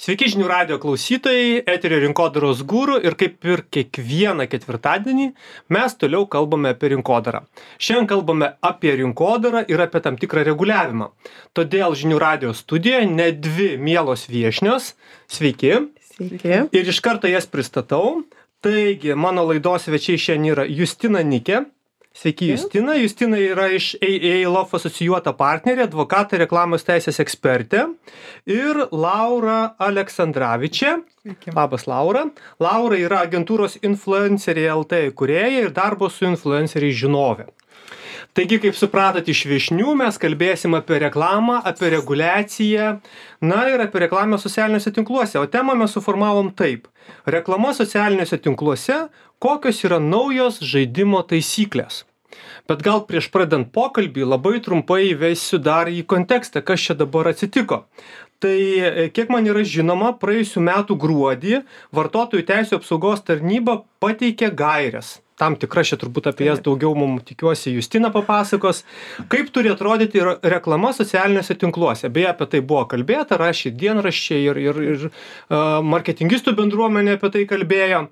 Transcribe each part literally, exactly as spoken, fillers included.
Sveiki žinių radijo klausytojai, eterio rinkodaros guru ir kaip ir kiekvieną ketvirtadienį mes toliau kalbame apie rinkodarą. Šiandien kalbame apie rinkodarą ir apie tam tikrą reguliavimą. Todėl žinių radijo studijoje net dvi mielos viešnios. Sveiki. Sveiki. Ir iš karto jas pristatau. Taigi, mano laidos svečiai šiandien yra Justina Nikė. Sveiki, Justina. Justina yra iš A A Law asocijuota partnerė, advokatė, reklamos teisės ekspertė. Ir Laura Aleksandravičė. Sveiki. Labas, Laura. Laura yra agentūros Influenceriai L T įkūrėja ir darbo su influenceriais žinovė. Taigi, kaip supratot iš viešnių, mes kalbėsim apie reklamą, apie reguliaciją, na ir apie reklamą socialiniuose tinkluose. O temą mes suformavom taip. Reklama socialiniuose tinkluose, kokios yra naujos žaidimo taisyklės. Bet gal prieš pradant pokalbį labai trumpai įvesiu dar į kontekstą, kas čia dabar atsitiko. Tai kiek man yra žinoma, praėjusių metų gruodį Vartotojų teisių apsaugos tarnyba pateikė gaires. Tam tikra, čia turbūt apie jas daugiau mums tikiuosi Justina papasakos, kaip turi atrodyti reklama socialiniuose tinkluose. Beje, apie tai buvo kalbėta, rašė dienraščiai ir, ir, ir uh, marketingistų bendruomenė apie tai kalbėjo.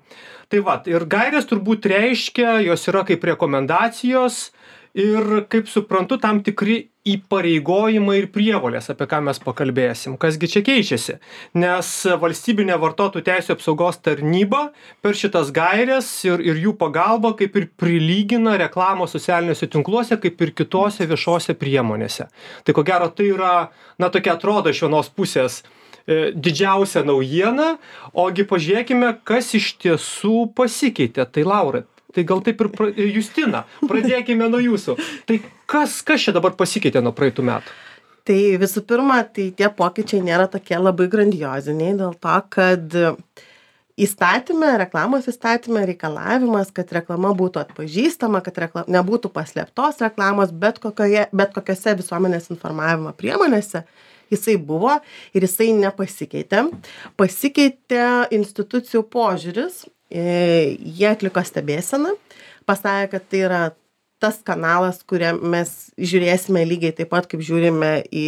Tai va, ir gairės turbūt reiškia, jos yra kaip rekomendacijos ir, kaip suprantu, tam tikri įpareigojimai ir prievolės, apie ką mes pakalbėsim. Kasgi čia keičiasi? Nes valstybinė vartotojų teisių apsaugos tarnyba per šitas gairės ir, ir jų pagalba kaip ir prilygina reklamos socialiniuose tinkluose, kaip ir kitose viešose priemonėse. Tai ko gero tai yra, na tokia atrodo iš vienos pusės e, didžiausia naujiena, ogi pažiūrėkime, kas iš tiesų pasikeitė. Tai Laura, tai gal taip ir pra... Justina, pradėkime nuo jūsų. Tai kas, kas čia dabar pasikeitė nuo praeitų metų? Tai visų pirma, tai tie pokyčiai nėra tokie labai grandioziniai, dėl to, kad įstatyme, reklamos įstatyme reikalavimas, kad reklama būtų atpažįstama, kad reklam... nebūtų paslėptos reklamos, bet, kokioje, bet kokiose visuomenės informavimo priemonėse, jisai buvo ir jisai nepasikeitė. Pasikeitė institucijų požiūris. Jie atliko stebėseną, pasakė, kad tai yra tas kanalas, kurią mes žiūrėsime lygiai taip pat, kaip žiūrime į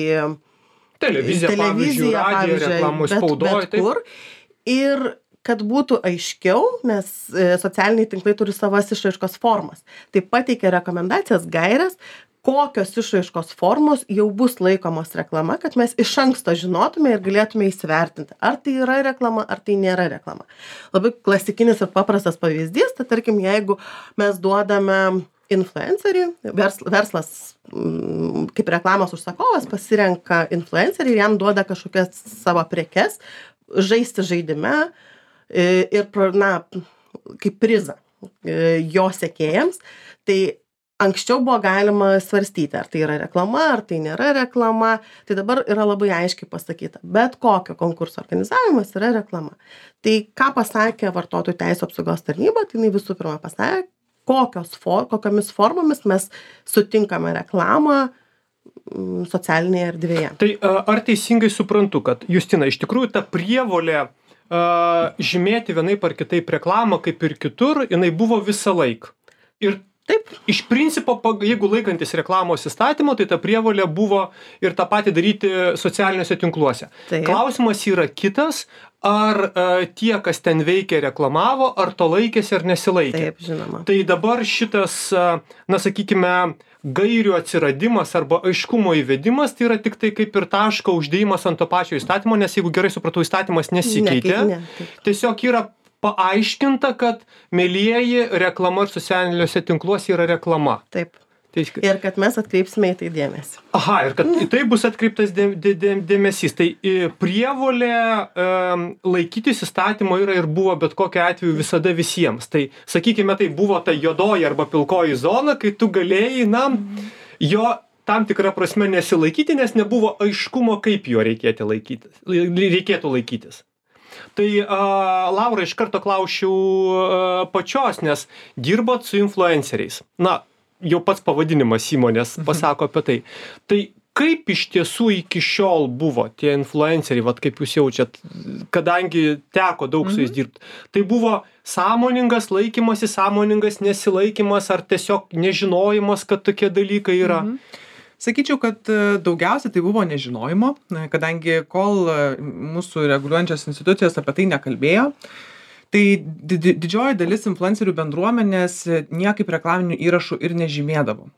televiziją, televiziją pavyzdžiui, reklamų spaudoj, bet kur. Ir kad būtų aiškiau, nes socialiniai tinklai turi savas išraiškos formas. Tai pateikė rekomendacijas, gaires, kokios išraiškos formos jau bus laikomos reklama, kad mes iš anksto žinotume ir galėtume įsivertinti, ar tai yra reklama, ar tai nėra reklama. Labai klasikinis ir paprastas pavyzdys, tai tarkim, jeigu mes duodame influencerį, verslas kaip reklamos užsakovas pasirenka influencerį ir jam duoda kažkokias savo prekes, žaisti žaidime ir, na, kaip prizą jo sekėjams, tai anksčiau buvo galima svarstyti, ar tai yra reklama, ar tai nėra reklama. Tai dabar yra labai aiškiai pasakyta. Bet kokio konkurso organizavimas yra reklama. Tai ką pasakė Vartotojų teisių apsaugos tarnyba, tai jinai visų pirma pasakė, kokios for, kokiamis formomis mes sutinkame reklamą socialinėje erdvėje. Tai ar teisingai suprantu, kad Justina, iš tikrųjų ta prievolė uh, žymėti vienaip ar kitaip reklamą, kaip ir kitur, jinai buvo visą laiką. Ir taip, iš principo, jeigu laikantis reklamos įstatymo, tai ta prievolė buvo ir tą patį daryti socialiniuose tinkluose. Taip. Klausimas yra kitas, ar uh, tie, kas ten veikia, reklamavo, ar to laikėsi, ar nesilaikė. Taip, žinoma. Tai dabar šitas, uh, na sakykime, gairių atsiradimas arba aiškumo įvedimas, tai yra tik tai kaip ir taško uždėjimas ant to pačio įstatymo, nes jeigu gerai supratau, įstatymas nesikeitė. Ne, ne, tiesiog yra paaiškinta, kad mielieji reklama ir socialiniuose tinkluose yra reklama. Taip. Tai, ir kad mes atkreipsime į tai dėmesį. Aha, ir kad į tai bus atkreiptas dė, dė, dė, dėmesys. Tai prievolė um, laikytis įstatymo yra ir buvo bet kokiu atveju visada visiems. Tai, sakykime, tai buvo ta juodoji arba pilkoji zona, kai tu galėjai, na, jo tam tikrą prasme nesilaikyti, nes nebuvo aiškumo, kaip jo reikėtų laikytis. Reikėtų laikytis. Tai uh, Laura, iš karto klausčiau uh, pačios, nes dirbat su influenceriais. Na, jau pats pavadinimas įmonės pasako apie tai. Tai kaip iš tiesų iki šiol buvo tie influenceriai, vat kaip jūs jaučiat, kadangi teko daug su jais dirbti, tai buvo sąmoningas laikymasis, sąmoningas nesilaikymas ar tiesiog nežinojimas, kad tokie dalykai yra? Mhm. Sakyčiau, kad daugiausiai tai buvo nežinojimo, kadangi kol mūsų reguliuojančios institucijos apie tai nekalbėjo, tai didžioji dalis influencerių bendruomenės niekaip reklaminių įrašų ir nežymėdavo.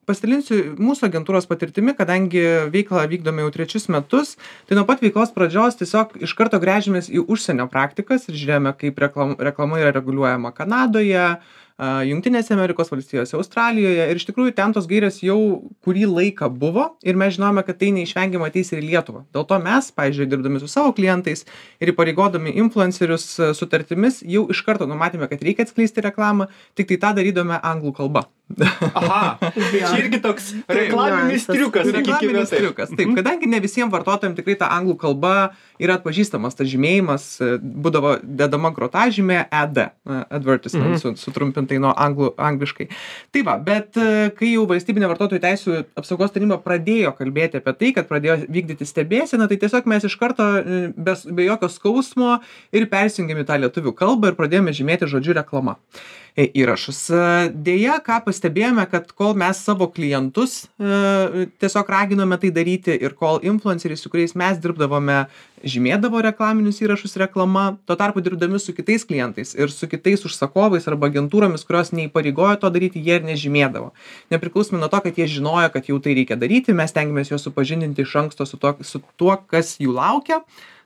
Pasidalinsiu mūsų agentūros patirtimi, kadangi veiklą vykdome jau trečius metus, tai nuo pat veiklos pradžios tiesiog iš karto gręžėmės į užsienio praktikas ir žiūrėjome, kaip reklama, reklama yra reguliuojama Kanadoje, Jungtinėse Amerikos valstijose, Australijoje ir iš tikrųjų ten tos gairės jau kurį laiką buvo ir mes žinome, kad tai neišvengiamai ateis ir į Lietuvą. Dėl to mes, pavyzdžiui, dirbdami su savo klientais ir įpareigodami influencerius sutartimis, jau iš karto numatėme, kad reikia atskleisti reklamą, tik tai tą darydome anglų kalba. Aha, čia irgi toks reklaminis triukas. Reklaminis triukas. Taip, kadangi ne visiems vartotojams tikrai ta anglų kalba yra atpažįstamas, tas žymėjimas, būdavo dedama grotažymė E D, advertisement, mm-hmm. sutrumpintai nuo anglų, angliškai. Tai va, bet kai jau valstybinė vartotojų teisių apsaugos taryba pradėjo kalbėti apie tai, kad pradėjo vykdyti stebėseną, tai tiesiog mes iš karto be, be jokio skausmo ir persijungėme tą lietuvių kalbą ir pradėjome žymėti žodžiu reklama įrašus. Deja, ką pastebėjome, kad kol mes savo klientus e, tiesiog raginome tai daryti ir kol influenceriai, su kuriais mes dirbdavome, žymėdavo reklaminius įrašus reklama, tuo tarpu dirbdami su kitais klientais ir su kitais užsakovais arba agentūromis, kurios neįpareigojo to daryti, jie ir nežymėdavo. Nepriklausomai nuo to, kad jie žinojo, kad jau tai reikia daryti, mes stengiamės juos supažindinti iš anksto su tuo, su tuo, kas jų laukia.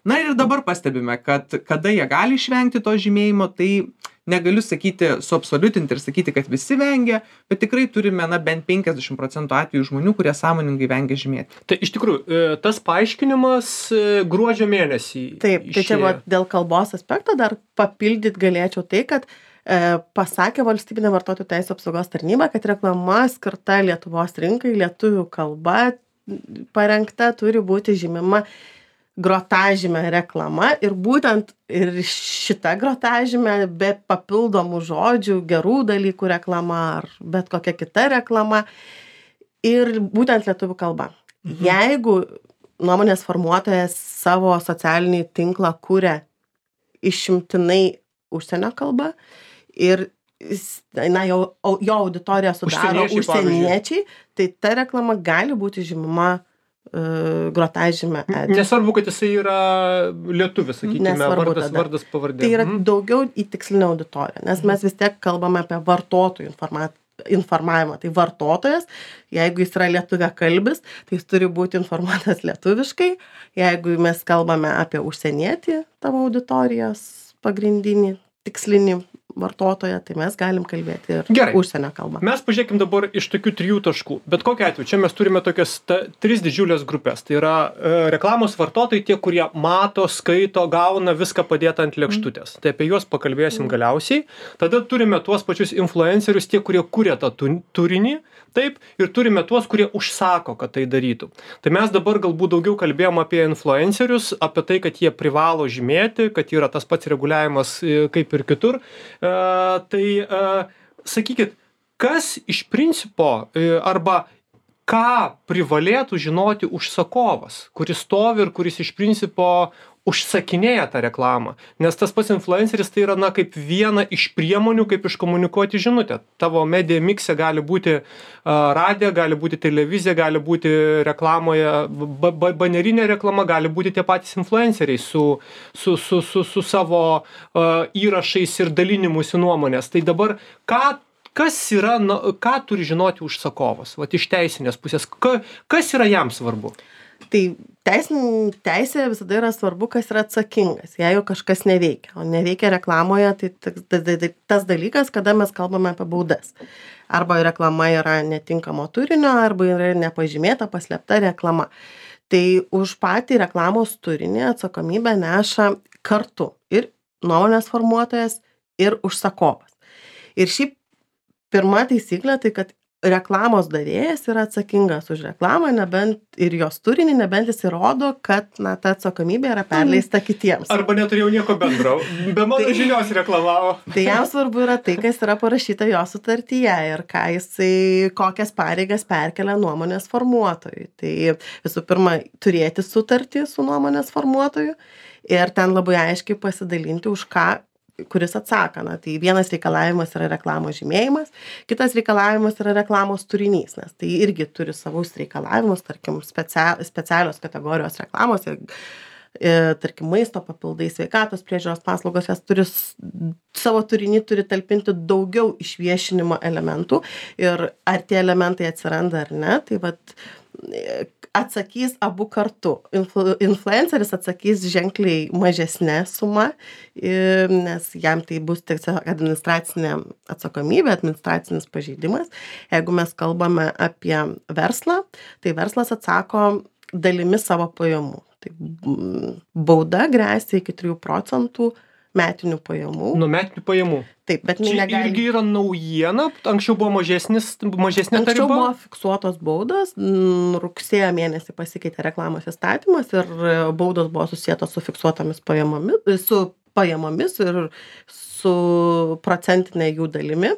Na ir dabar pastebime, kad kada jie gali išvengti to žymėjimo, tai negaliu sakyti, suabsoliutinti ir sakyti, kad visi vengia, bet tikrai turime na, bent penkiasdešimt procentų atvejų žmonių, kurie sąmoningai vengia žymėti. Tai iš tikrųjų, tas paaiškinimas gruodžio mėnesį. Taip, tai čia va, dėl kalbos aspekto dar papildyti galėčiau tai, kad e, pasakė valstybinė vartotojų teisių apsaugos tarnyba, kad reklama skirta Lietuvos rinkai, lietuvių kalba parengta turi būti žymima grotažymė reklama ir būtent ir šita grotažymė be papildomų žodžių, gerų dalykų reklama ar bet kokia kita reklama ir būtent lietuvių kalba. Mhm. Jeigu nuomonės formuotojas savo socialinį tinklą kuria išimtinai užsienio kalba ir na, jo, jo auditoriją sudaro užsieniečiai, užsieniečiai tai ta reklama gali būti žymima grotažymė. Nesvarbu, kad jisai yra lietuvis, sakykime, vardas, vardas pavardė. Tai yra mm. daugiau į tikslinę auditoriją, nes mes vis tiek kalbame apie vartotojų informavimą. Tai vartotojas, jeigu jis yra lietuviakalbis, tai jis turi būti informuotas lietuviškai. Jeigu mes kalbame apie užsienietį tavo auditorijos pagrindinį, tikslinį vartotoją, tai mes galim kalbėti ir Gerai. Užsienio kalbą. Mes pažiūrėkim dabar iš tokių trijų taškų. Bet kokiu atveju, čia mes turime tokias ta, tris didžiulės grupės. Tai yra e, reklamos vartotojai, tie, kurie mato, skaito, gauna viską padėtą ant lėkštutės. Mm. Tai apie juos pakalbėsim mm. galiausiai. Tada turime tuos pačius influencerius, tie, kurie kuria tą turinį, taip, ir turime tuos, kurie užsako, kad tai darytų. Tai mes dabar galbūt daugiau kalbėjom apie influencerius, apie tai, kad jie privalo žymėti, kad yra tas pats reguliavimas kaip ir kitur. Uh, tai uh, sakykit, kas iš principo uh, arba ką privalėtų žinoti užsakovas, kuris stovi ir kuris iš principo užsakinėja tą reklamą. Nes tas pats influenceris tai yra na, kaip viena iš priemonių, kaip iškomunikuoti žinutę. Tavo medija mikse gali būti uh, radija, gali būti televizija, gali būti reklamoje, ba ba banerinė reklama, gali būti tie patys influenceriai su, su, su, su, su savo uh, įrašais ir dalinimusi nuomonės. Tai dabar ką Kas yra, na, ką turi žinoti užsakovas, vat iš teisinės pusės, ka, kas yra jam svarbu? Tai teisin, teisė visada yra svarbu, kas yra atsakingas, jeigu kažkas neveikia. O neveikia reklamoje, tai tas dalykas, kada mes kalbame apie baudas. Arba reklama yra netinkamo turinio, arba yra nepažymėta, paslėpta reklama. Tai už patį reklamos turinį atsakomybę neša kartu ir nuomonės formuotojas, ir užsakovas. Ir šiaip pirma taisyklė, tai kad reklamos davėjas yra atsakingas už reklamą, nebent ir jos turinį, nebent jis įrodo, kad na, ta atsakomybė yra perleista kitiems. Arba neturėjau nieko bendro, be mano tai, žinios reklamavo. Tai jam svarbu yra tai, kas yra parašyta jo sutartyje ir ką jisai, kokias pareigas perkelia nuomonės formuotojui. Tai visų pirma, turėti sutartį su nuomonės formuotoju ir ten labai aiškiai pasidalinti, už ką kuris atsako. Na, tai vienas reikalavimas yra reklamos žymėjimas, kitas reikalavimas yra reklamos turinys, nes tai irgi turi savus reikalavimus, tarkim, specia, specialios kategorijos reklamos, e, tarkim, maisto papildai, sveikatos priežiūros paslaugos, jas turi savo turinį turi talpinti daugiau išviešinimo elementų ir ar tie elementai atsiranda ar ne, tai vat atsakys abu kartu. Influ, influenceris atsakys ženkliai mažesnė suma, nes jam tai bus tiesiog administracinė atsakomybė, administracinis pažeidimas. Jeigu mes kalbame apie verslą, tai verslas atsako dalimi savo pajamų. Tai bauda gresia iki trijų procentų metinių pajamų. Nuo metinių pajamų. Taip, bet čia negali... irgi yra naujiena, anksčiau buvo mažesnis, mažesnė ta riba. Anksčiau buvo fiksuotos baudos, rugsėjo mėnesį pasikeitė reklamos įstatymas ir baudos buvo susietos su fiksuotomis pajamomis, su pajamomis ir su procentinė jų dalimi.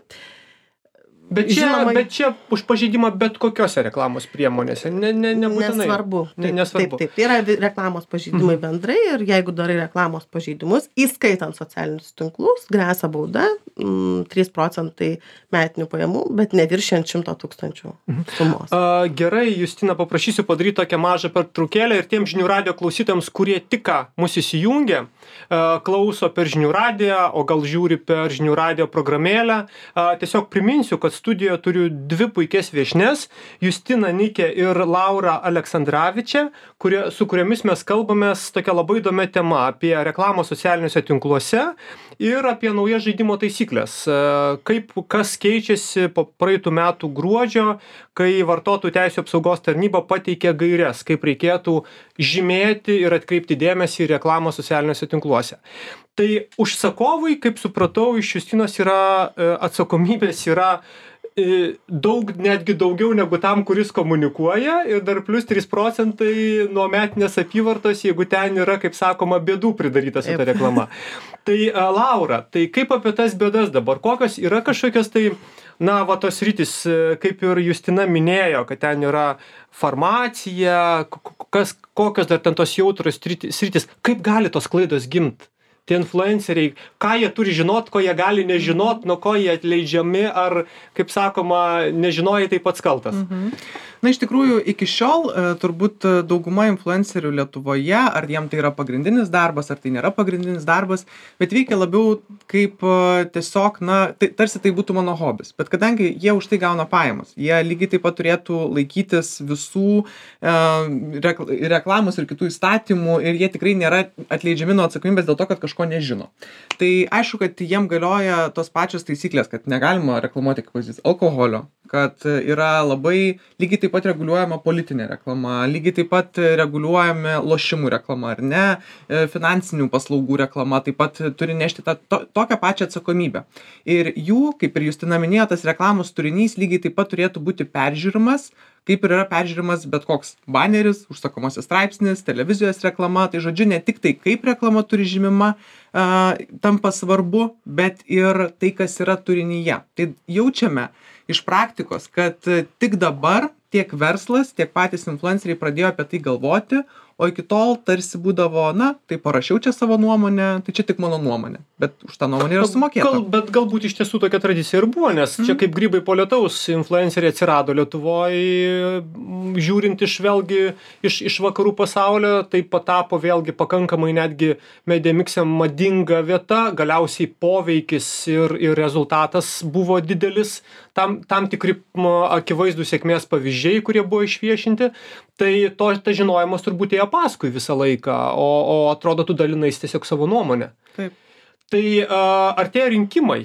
Bet čia, Žinoma, bet čia už pažeidimą bet kokiose reklamos priemonėse, ne, ne, nebūtinai. Nesvarbu. Ne, nesvarbu. Taip, taip, tai yra reklamos pažeidimai bendrai ir jeigu darai reklamos pažeidimus, įskaitant socialinius tinklus, gresia bauda mm, trys procentai metinių pajamų, bet neviršiant šimto tūkstančių sumos. A, gerai, Justina, paprašysiu padaryti tokią mažą pertraukėlę ir tiem žinių radio klausytams, kurie tik ką mus įsijungia, a, klauso per žinių radiją, o gal žiūri per žinių radio programėlę, a, tiesiog priminsiu, kad studijoje turiu dvi puikias viešnes, Justiną Nikę ir Laurą Aleksandravičią, kurie, su kuriomis mes kalbamės tokia labai įdomia tema apie reklamą socialiniuose tinkluose ir apie naujas žaidimo taisyklės. Kaip, kas keičiasi po praeitų metų gruodžio, kai vartotojų teisių apsaugos tarnyba pateikė gaires, kaip reikėtų žymėti ir atkreipti dėmesį į reklamą socialiniuose tinkluose. Tai užsakovui, kaip supratau, iš Justinos yra atsakomybės yra daug, netgi daugiau negu tam, kuris komunikuoja ir dar plus trys procentai nuo metinės apyvartos, jeigu ten yra, kaip sakoma, bėdų pridaryta su ta reklama. Tai Laura, tai kaip apie tas bėdas dabar? Kokios yra kažkokios tai, na, va tos rytis, kaip ir Justina minėjo, kad ten yra farmacija, kas, kokios dar ten tos jautros sritis, kaip gali tos klaidos gimti? Tie influenceriai, ką jie turi žinot, ko jie gali nežinot, nuo ko jie atleidžiami, ar, kaip sakoma, nežinojai tai pats kaltas. Mhm. Na, iš tikrųjų, iki šiol turbūt dauguma influencerių Lietuvoje, ar jiem tai yra pagrindinis darbas, ar tai nėra pagrindinis darbas, bet veikia labiau kaip tiesiog, na, tai, tarsi tai būtų mano hobis. Bet kadangi jie už tai gauna pajamas, jie lygiai taip pat turėtų laikytis visų e, reklamos ir kitų įstatymų ir jie tikrai nėra atleidžiami nuo atsakomybės dėl to, kad kažko nežino. Tai aišku, kad jiem galioja tos pačios taisyklės, kad negalima reklamuoti, kaip pavyzdys, alkoholio, kad yra labai lygiai taip pat reguliuojama politinė reklama, lygiai taip pat reguliuojami lošimų reklama, ar ne, finansinių paslaugų reklama, taip pat turi nešti tą, to, tokią pačią atsakomybę. Ir jų, kaip ir Justina minėjo, tas reklamos turinys lygiai taip pat turėtų būti peržiūrimas, kaip ir yra peržiūrimas bet koks baneris, užsakomasis straipsnis, televizijos reklama, tai žodžiu, ne tik tai, kaip reklama turi žymima, uh, tampa svarbu, bet ir tai, kas yra turinyje. Tai jaučiame iš praktikos, kad tik dabar tiek verslas, tiek patys influenceriai pradėjo apie tai galvoti, o iki tol tarsi būdavo, na, tai parašiau čia savo nuomonę, tai čia tik mano nuomonė, bet už tą nuomonę yra sumokėta. Gal, bet galbūt iš tiesų tokia tradicija ir buvo, nes mm. čia kaip grybai po lietaus influenceriai atsirado Lietuvoje, žiūrint iš vėlgi iš, iš vakarų pasaulio, tai patapo vėlgi pakankamai netgi Mediamix'e madinga vieta, galiausiai poveikis ir, ir rezultatas buvo didelis, tam, tam tikri akivaizdų sėkmės pavyzdžiai, kurie buvo išviešinti, tai to, ta žinojimas turbūt ėjo paskui visą laiką, o, o atrodo, tu dalinais tiesiog savo nuomonę. Taip. Tai uh, artėja rinkimai,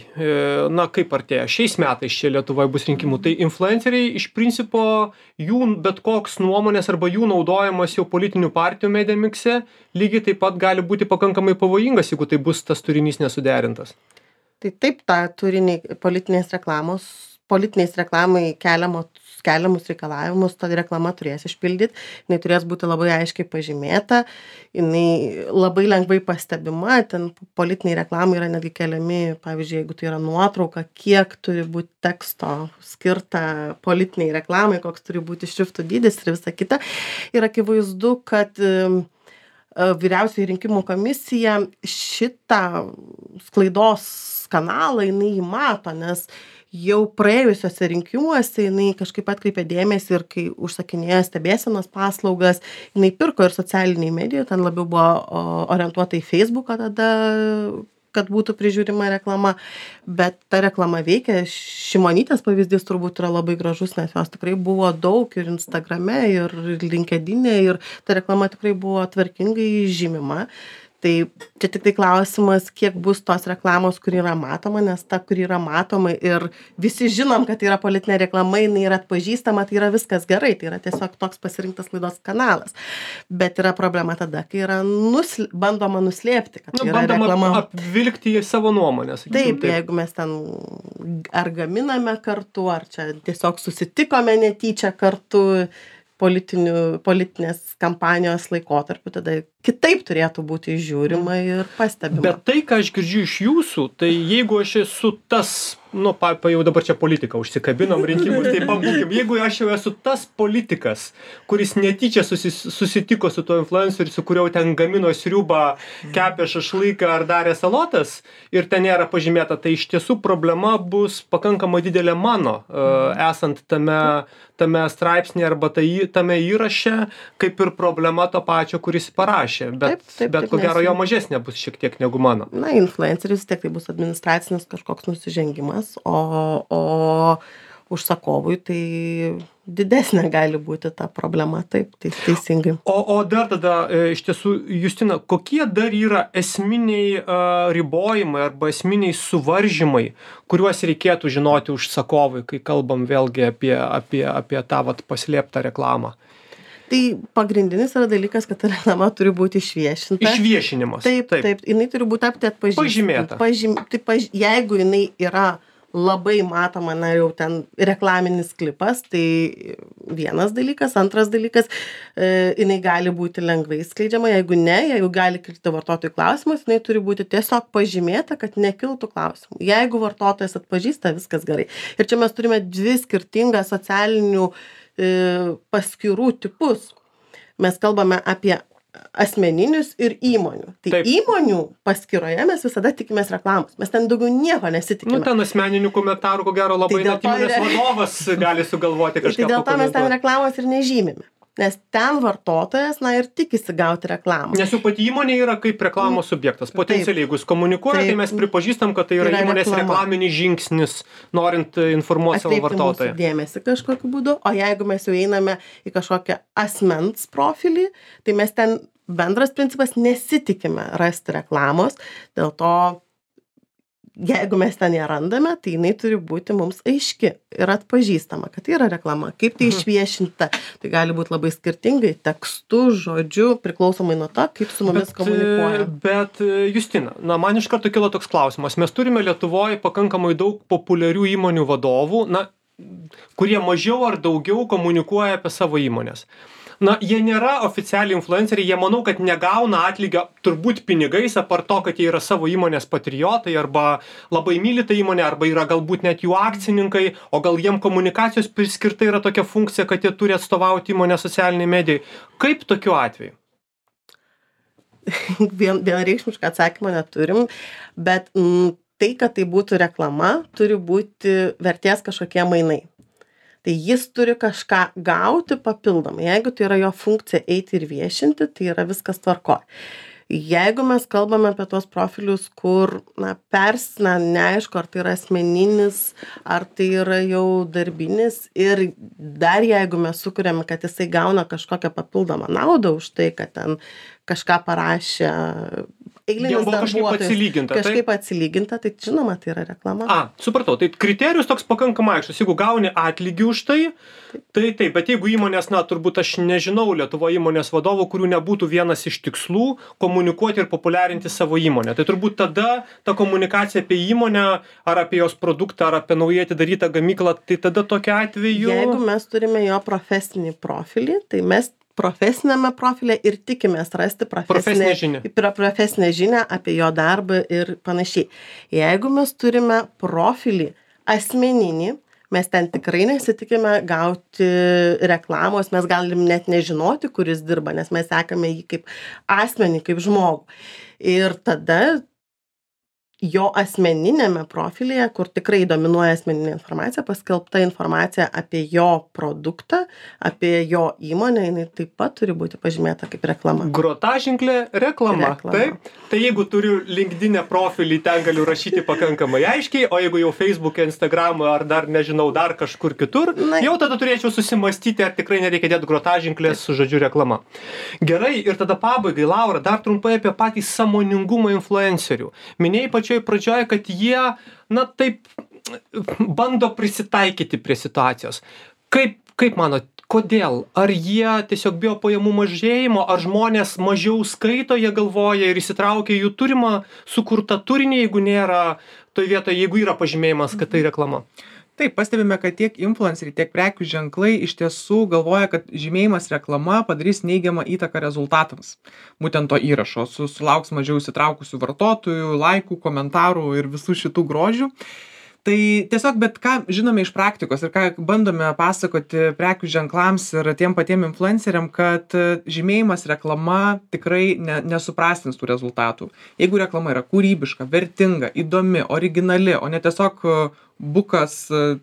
na kaip artėja, šiais metais čia Lietuvoje bus rinkimų, tai influenceriai iš principo jų bet koks nuomonės arba jų naudojimas jau politinių partijų Mediamix'e lygiai taip pat gali būti pakankamai pavojingas, jeigu tai bus tas turinys nesuderintas. Tai taip, tą turinį politinės reklamos, politiniais reklamai keliamos keliamus reikalavimus, ta reklama turės išpildyti, jinai turės būti labai aiškiai pažymėta, jinai labai lengvai pastebima, ten politiniai reklamai yra netgi keliami, pavyzdžiui, jeigu tai yra nuotrauka, kiek turi būti teksto skirta politiniai reklamai, koks turi būti šriftų dydis ir visa kita. Ir akivaizdu, kad vyriausioji rinkimų komisija šitą sklaidos kanalą jinai jį mato, nes jau praėjusiuose rinkimuose jinai kažkaip atkreipė dėmesį ir kai užsakinėjo stebėsenos paslaugas, jinai pirko ir socialiniai medijai, ten labiau buvo orientuota į Facebooką tada, kad būtų prižiūrima reklama, bet ta reklama veikia. Šimonytės pavyzdys turbūt yra labai gražus, nes jos tikrai buvo daug ir Instagrame, ir LinkedIne, ir ta reklama tikrai buvo tvarkingai žymima. Tai čia tik tai klausimas, kiek bus tos reklamos, kur yra matoma, nes ta, kur yra matoma ir visi žinom, kad tai yra politinė reklama, jinai yra atpažįstama, tai yra viskas gerai, tai yra tiesiog toks pasirinktas laidos kanalas. Bet yra problema tada, kai yra nusl... bandoma nuslėpti, kad nu, yra reklama. Bandoma apvilkti į savo nuomonę. Taip, taip, jeigu mes ten ar gaminame kartu, ar čia tiesiog susitikome netyčia kartu, politinės kampanijos laikotarpiu, tada kitaip turėtų būti žiūrima ir pastebima. Bet tai, ką aš girdžiu iš jūsų, tai jeigu aš esu tas, nu, pa, pa jau dabar čia politika, užsikabinom rinkimus, tai pabūkim, jeigu aš jau esu tas politikas, kuris netyčia susis, susitiko su tuo influenceriu, su kuriuo ten gamino sriubą, kepė šašlyką ar darė salotas ir ten nėra pažymėta, tai iš tiesų problema bus pakankamai didelė mano, uh, esant tame, tame straipsnė arba tai, tame įraše, kaip ir problema to pačio, kuris parašė. Bet, taip, taip, bet ko gero jo mažesnė bus šiek tiek negu mano. Na, influenceris tiek tai bus administracinis kažkoks nusižengimas, o, o užsakovui tai didesnė gali būti ta problema, taip, tai teisingai. O, o dar tada, iš tiesų, Justina, kokie dar yra esminiai uh, ribojimai arba esminiai suvaržymai, kuriuos reikėtų žinoti užsakovui, kai kalbam vėlgi apie, apie, apie tą vat, paslėptą reklamą? Tai pagrindinis yra dalykas, kad ta reklama turi būti išviešinta. Išviešinimas. Taip, taip, taip. Jinai turi būti apti atpažįstama. Pažymėta. Pažym, tai paž, jeigu jinai yra labai matoma, na jau ten reklaminis klipas, tai vienas dalykas. Antras dalykas, e, jinai gali būti lengvai skleidžiama. Jeigu ne, jeigu gali kilti vartotojų klausimas, jinai turi būti tiesiog pažymėta, kad nekiltų klausimų. Jeigu vartotojas atpažįsta, viskas gerai. Ir čia mes turime dvi skirtingas socialinių paskyrų tipus. Mes kalbame apie asmeninius ir įmonių. Tai Taip. Įmonių paskyroje mes visada tikimės reklamos. Mes ten daugiau nieko nesitikime. Nu, ten asmeninių komentarų, ko gero, labai tai net įmonės yra... vadovas gali sugalvoti kažką. Tai dėl to mes ten reklamos ir nežymime. Nes ten vartotojas, na ir tikisi gauti reklamą. Nes jau pati įmonė yra kaip reklamos subjektas. Potencialiai, jeigu jis komunikuoja, taip, tai mes pripažįstam, kad tai yra, yra įmonės reklama. Reklaminis žingsnis, norint informuoti savo vartotoją. Atkreipti mūsų dėmesį kažkokiu būdu, o jeigu mes jau einame į kažkokią asmens profilį, tai mes ten bendras principas nesitikime rasti reklamos, dėl to jeigu mes ten ją randame, tai jinai turi būti mums aiški ir atpažįstama, kad tai yra reklama. Kaip tai išviešinta, tai gali būti labai skirtingai, tekstu, žodžiu, priklausomai nuo to, kaip su mumis bet, komunikuoja. Bet, Justina, na, man iš karto kilo toks klausimas. Mes turime Lietuvoje pakankamai daug populiarių įmonių vadovų, na, kurie mažiau ar daugiau komunikuoja apie savo įmonės. Na, jie nėra oficialiai influenceriai, jie manau, kad negauna atlygio turbūt pinigais, apart to, kad jie yra savo įmonės patriotai arba labai myli tą įmonę, arba yra galbūt net jų akcininkai, o gal jiem komunikacijos priskirta yra tokia funkcija, kad jie turi atstovauti įmonę socialiniai medijai. Kaip tokiu atveju? Vien, vienareikšmišką atsakymą neturim, bet m, tai, kad tai būtų reklama, turi būti vertės kažkokie mainai. Tai jis turi kažką gauti papildomai. Jeigu tai yra jo funkcija eiti ir viešinti, tai yra viskas tvarkoj. Jeigu mes kalbame apie tos profilius, kur, na, persina, neaišku, ar tai yra asmeninis, ar tai yra jau darbinis, ir dar jeigu mes sukuriame, kad jisai gauna kažkokią papildomą naudą už tai, kad ten kažką parašė eilinis darbuotojas. Kažkaip atsilyginta. Kažkaip tai? atsilyginta, tai žinoma, tai yra reklama. A, supratau, tai kriterijus toks pakankamai aiškus. Jeigu gauni atlygį už tai, tai taip, bet jeigu įmonės, na, turbūt aš nežinau Lietuvo įmonės vadovų, kurių nebūtų vienas iš tikslų komunikuoti ir populiarinti savo įmonę. Tai turbūt tada ta komunikacija apie įmonę, ar apie jos produktą, ar apie naujai atidarytą gamyklą, tai tada tokia atveju... Jeigu mes turime jo profesinį profilį, tai mes profesinėme profilė ir tikimės rasti profesinę žinią. profesinę žinią apie jo darbą ir panašiai. Jeigu mes turime profilį asmeninį, mes ten tikrai nesitikime gauti reklamos, mes galim net nežinoti, kuris dirba, nes mes sekame jį kaip asmenį, kaip žmogų. Ir tada jo asmeninėme profilyje, kur tikrai dominuoja asmeninė informacija, paskelbta informacija apie jo produktą, apie jo įmonę, jinai taip pat turi būti pažymėta kaip reklama. Grotaženklė reklama. Reklama. Taip. Tai jeigu turiu LinkedIn profilį, ten galiu rašyti pakankamai aiškiai, o jeigu jau Facebook'e, Instagram'e ar dar nežinau, dar kažkur kitur, Na, jau tada turėčiau susimastyti, ar tikrai nereikia dėti grotaženklės su žodžiu reklama. Gerai, ir tada pabaigai, Laura, dar trumpai apie patį sąmoningumą influencerių. Minėjai pačioj pradžioje, kad jie, na taip, bando prisitaikyti prie situacijos. Kaip, kaip manot, kodėl? Ar jie tiesiog bijo pajamų mažėjimo, ar žmonės mažiau skaito, jie galvoja ir įsitraukia jų turimą sukurtą turinį, jeigu nėra toj vietoje, jeigu yra pažymėjimas, kad tai reklama? Taip, pastebime, kad tiek influenceriai, tiek prekių ženklai iš tiesų galvoja, kad žymėjimas reklama padarys neigiamą įtaką rezultatams. Būtent to įrašo, su, sulauks mažiau įsitraukusių vartotojų, laikų, komentarų ir visų šitų grožių. Tai tiesiog, bet ką žinome iš praktikos ir ką bandome pasakoti prekių ženklams ir tiem patiem influenceriam, kad žymėjimas reklama tikrai ne, nesuprastins tų rezultatų. Jeigu reklama yra kūrybiška, vertinga, įdomi, originali, o ne tiesiog bukas,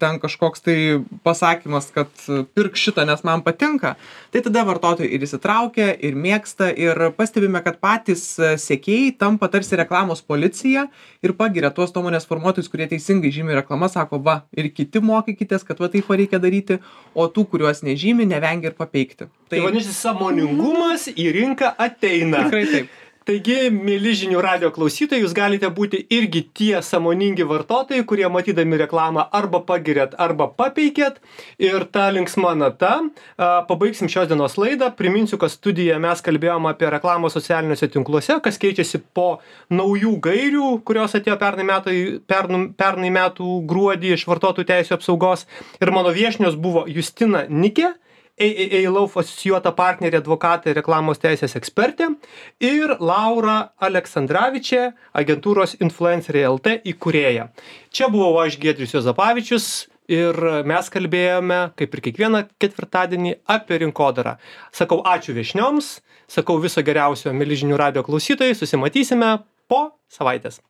ten kažkoks tai pasakymas, kad pirk šitą, nes man patinka, tai tada vartotojai ir įsitraukia, ir mėgsta, ir pastebime, kad patys sekėjai tampa tarsi reklamos policija ir pagiria tuos nuomonės formuotojus, kurie teisingai žymi reklamą, sako, va, ir kiti mokykitės, kad va taip reikia daryti, o tų, kuriuos nežymi, nevengia ir papeikti. Tai, tai vadinasi, sąmoningumas į rinką ateina. Tikrai taip. Taigi, mėly žinių radijo klausytojai, jūs galite būti irgi tie sąmoningi vartotojai, kurie matydami reklamą arba pagirėt, arba papeikėt. Ir ta linksma nata, pabaigsim šios dienos laidą. Priminsiu, kad studijoje mes kalbėjome apie reklamą socialiniuose tinkluose, kas keičiasi po naujų gairių, kurios atėjo pernai, metai, pernai, pernai metų gruodį iš vartotojų teisių apsaugos. Ir mano viešnios buvo Justina Nikė, A A A Law asocijuota partnerė, advokatė, reklamos teisės ekspertė, ir Laura Aleksandravičė, agentūros Influenceriai L T įkūrėja. Čia buvau aš, Giedrius Juozapavičius, ir mes kalbėjome, kaip ir kiekvieną ketvirtadienį, apie rinkodarą. Sakau ačiū viešnioms, sakau viso geriausio, mėly žinių radijo klausytojai, susimatysime po savaitės.